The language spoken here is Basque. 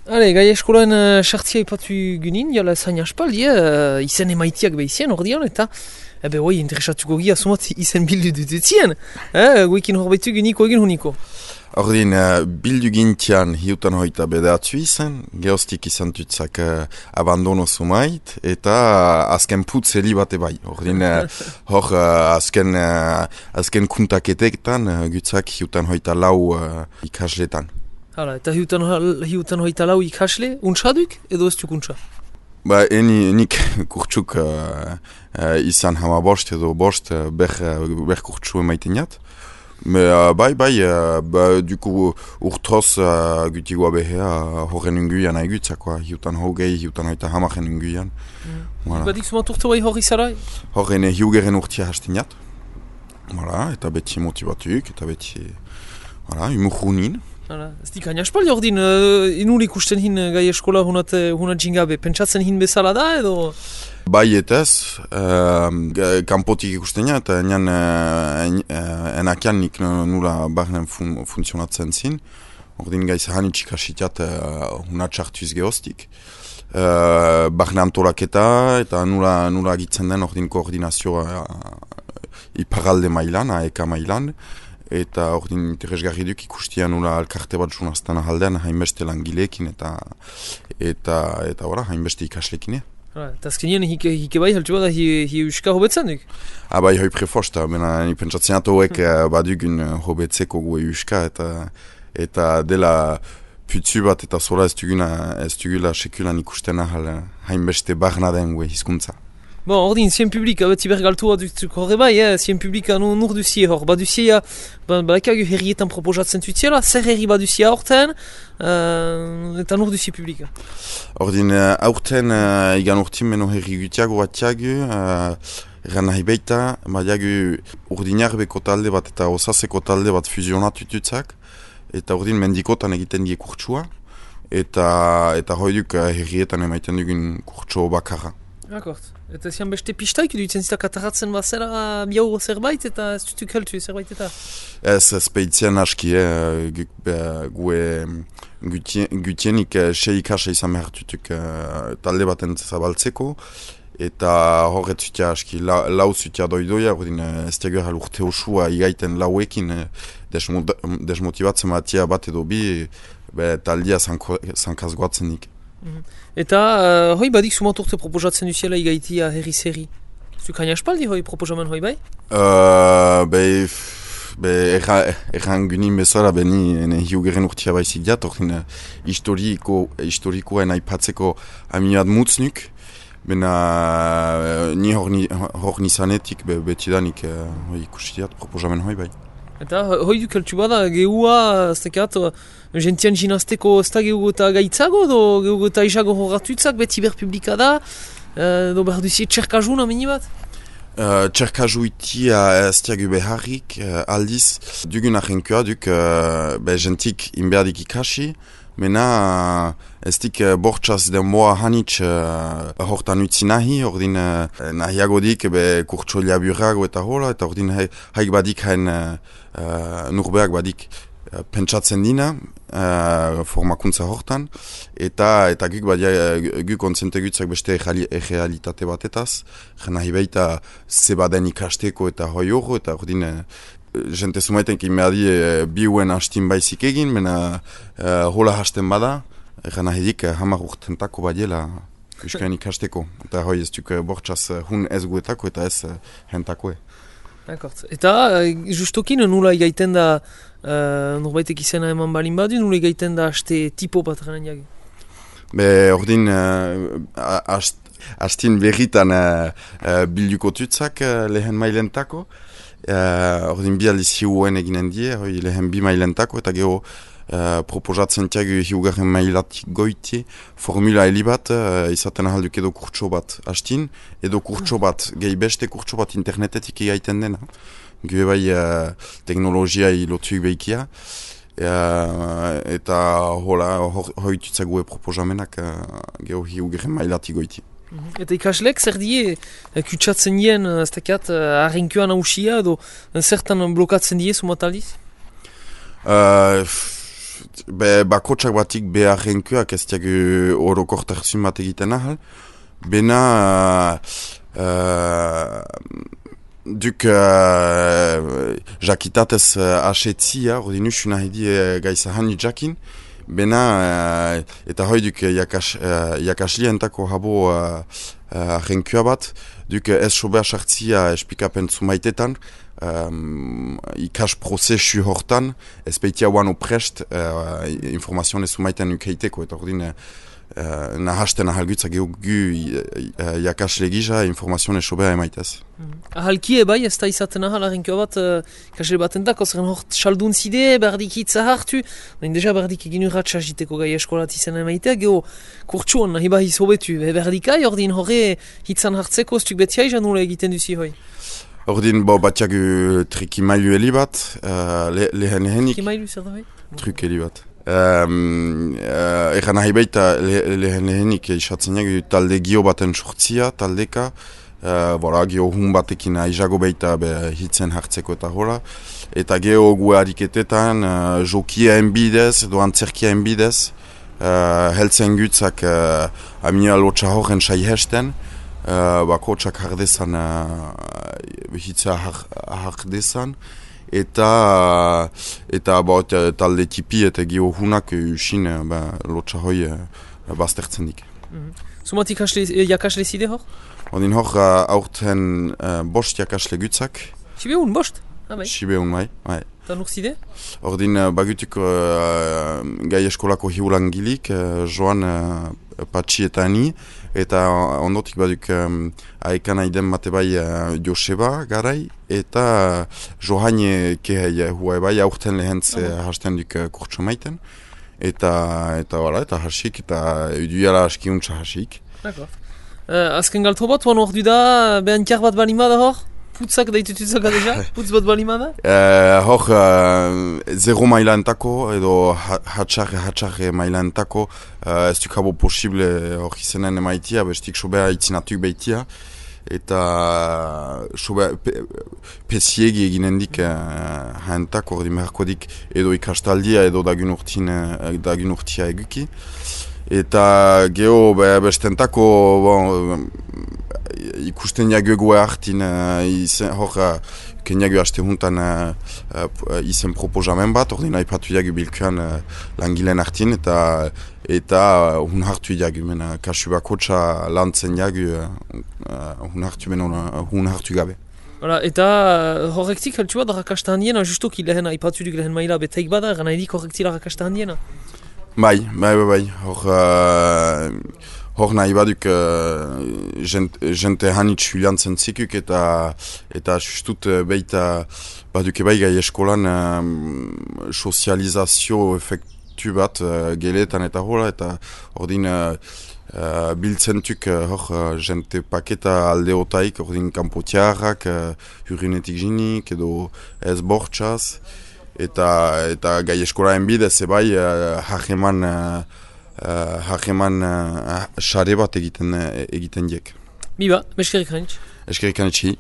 Hale, gai eskolan sartzia ipatu gynin, jala zain aspaldi, izen emaitiak behizien ordean, eta hoi, interesatuko gira sumat izen bildu dutuzien, goekin horbaitu gyniko egin huniko. Ordin, bildu gintian hiutan hoita bedatzu izan, geostik izan tutzak abandono sumait, eta azken putz heli bate bai. Ordin, hor azken kuntaketetan gutzak hiutan hoita lau ikasletan. Hala, eta hiutan hoita lau ikasle, untsaduk edo ez duk untsa? Ba, nik kurtsuk izan hama bost edo bost ber kurtsu emaiten jat. Bai, duku urtroz gutigoa behea horren unguian aigutzakoa, hiutan hogei, hiutan hoita hamaren unguian. Badik sumat urte bai hori zara? Horren hiugeren urtia hasten jat. Eta beti motibatuk, eta beti umurrunin. Ez dik hain aspaldi ordin, inul ikusten hin gai eskola hunat jingabe, pentsatzen hin bezala da edo? Bai etez, kanpotik ikusten ja, eta enakian nik nula barnen funtzionatzen zin. Ordin gaiz hanitxik asitiat hunat sartuz geostik. Barne antolaketa eta nula agitzen den ordin koordinazioa iparalde mailan, aeka mailan. Eta ordin interesgarri duk ikustian nula alkarte bat junaztan ahaldean hainbeste langileekin eta hainbeste ikaslekin. Eta azkenien hike bai haltu bada hi euska hobetzen duk? Bai, hoi prefosta, ni pentsatzen atoek badugun hobetzeko gue euska eta dela putzu bat eta zola ez dugula sekulan ikusten ahal hainbeste barna den gue hizkuntza. Bon, ordin, zien publika, beti bergaltua duk horre bai, zien publika nur duzie hor. Baduzie, balakagu herrietan proposatzen tutziela, zer herri baduzie aurten, eta nur duzie publika. Ordin, aurten igan urtin meno herri gutiago batiagu, erran nahi beita, badiagu urdinarbeko talde bat eta osaseko talde bat fuzionatu tutzak, eta ordin mendikotan egiten die kurtsua, eta hoiduk herrietan emaiten dugun kurtso bakarra. Akort. Eta zian beste pistaik dutzen zita kataratzen bazera biau zerbait eta ez dutuk heltu zerbait eta? Ez peitzen aski, gue gutienik seikasa izan behar tutuk talde baten zabaltzeko eta horret zutia aski, lau zutia doidoia, ez diagur urte osua igaiten lauekin desmotibatzen batia bat edo bi taldia zankaz goatzen nik. Eta hoi badik sumat urte proposatzen duziela igaitia herri-zerri. Zuk hain aspaldi hoi proposamen hoi bai? Erran gunin bezala beni hiugeren urtia baizik diat, ordin historikoen aipatzeko aminiat mutznuk, bena ni hor nizanetik betidanik ikusi diat proposamen hoi bai. Eta hoi duk heltu bada gehua, ez tekat, gentian jinazteko ez da gehugo eta gaitzago, edo gehugo eta isago horratutzak beti berpublika da, edo behar duzie txerkajun amini bat? Txerkaju itia ez diagu beharrik, aldiz, dugun ahenkoa duk gentik inberdik ikasi, mena ez dik bortxaz denboa hanitz hortan utzi nahi, ordin nahiago dik kurtso liaburago eta hola, eta ordin haik badik hain nurbeak badik pentsatzen dina formakuntza hortan, eta guk kontzentegutzak beste errealitate batetaz, nahi baita zebaden ikasteko eta hoi horro, eta ordin jente sumaiten kimadi biuen hastin baizik egin, mena hola hasten bada, eran ahedik hamar urtentako badiela euskain ikasteko. Eta hoi ez duk bortxaz hun ez guetako eta ez hentakoe. Eta justokin nula igaiten da, norbaitek izena eman balin badu, nula igaiten da haste tipo bat garen jagi? Ordin hastin berritan bilduko tutzak lehen mailentako, ordin bi aldiz hiuen eginen die, lehen bi mailentako, eta geho proposatzen tiagu hiugarren mailatik goiti, formula heli bat, izaten ahalduk edo kurtso bat hastin, edo kurtso bat, gehi beste kurtso bat internetetik egaiten dena. Gue bai teknologia lotuik behikia, eta hoitutzak gue proposamenak geho hiugarren mailatik goiti. Eta ikaslek zer die kutsatzen dien, ez tekat, harrinkoan hausia edo zertan blokatzen die sumat aldiz? bakotsak batik beharrenkoak ez diagu orokortasun bat egiten ahal. Bena duk jakitatez asetzia, ordin usuna hedi gaizahan jakin. Bena eta hoi duk jakaslientako habo arrenkoa bat, duk ez sobea sartzia espikapen zumaitetan, ikas prozesu hortan, ez peitia oan oprest informazioan ez zumaiten ukeiteko, eta ordin nahasten ahalgutza gu jakasle gisa informazioan ez sobea emaitez. Ahalkie bai, ez da izaten ahal arrenkoa bat kasle batentako, zeren hort saldun zide, berdik hitza hartu, baina deja berdik egin urratxa jiteko gai eskolat izan emaitea, geho kurtsuan nahi bahiz hobetu, berdikai ordin horre hitzan hartzeko ez tuk betia izan nula egiten duzi hoi. Ordin batiagu trikimailu heli bat, lehen lehenik. Trikimailu zer da hoi? Truk heli bat. Egan nahi baita lehen lehenik isatzen jagu talde gio baten sortzia, taldeka, gio hun batekin aizago baita hitzen hartzeko eta hola. Eta geho gu hariketetan jokia enbidez, edo antzerkia enbidez, heltzen gutzak amia lotxa horren sai hesten, bakotsak hardezan, hitza hardezan, eta talde tipi eta gio hunak usin lotxa hoi baztertzen dik. Zumatik jakasle zide hor? Odin hor aurten bost jakasle gutzak. Sibeun, bost? Sibeun, bai. Eta nur zide? Ordin bagutuk gai eskolako hiulangilik, joan Patxi eta ni, eta ondotik baduk aekan aiden bate bai Joseba garai, eta Johaine kehei hua bai aurten lehentz hasten duk kurtso maiten, eta hasik, eta uduela askiuntza hasik. Azken galto bat, oan hor du da, behan tiar bat balimada hor? Putzak daitutuzak adeja? Putz bat balimada? Hor, zero mailaentako, edo hatxarre mailaentako, ez duk habo posible hor izenen emaitia, bestik sobea itzinatuk behitia, eta sobea pesiegi eginendik haentako, ordi meharkodik edo ikastaldia, edo dagun urtia eguki. Eta geho bestentako ikusten jagu hartin hor kenjagu haste huntan izen proposamen bat, ordin aipatu jagu bilkuan langileen hartin eta hun hartu jagu, kasu bakotxa lantzen jagu hun hartu gabe. Eta horrektik haltsu bat rakasta handiena, justoki lehen aipatu duk lehen maila beteik bada, gana edik horrektila rakasta handiena? Bai. Hor nahi baduk jente hanitz huliantzen zikuk eta justut beita baduk ebai gai eskolan sozializazio efektu bat geletan eta hola, eta ordin biltzentuk hor jente paketa aldeotaik, ordin kanpotiarrak, hurrinetik jinik edo ez bortxaz. Eta gai eskolaen bidez ebai hageman sare bat egiten diek. Biba, eskerrik hanitz. Eskerrik hanitz.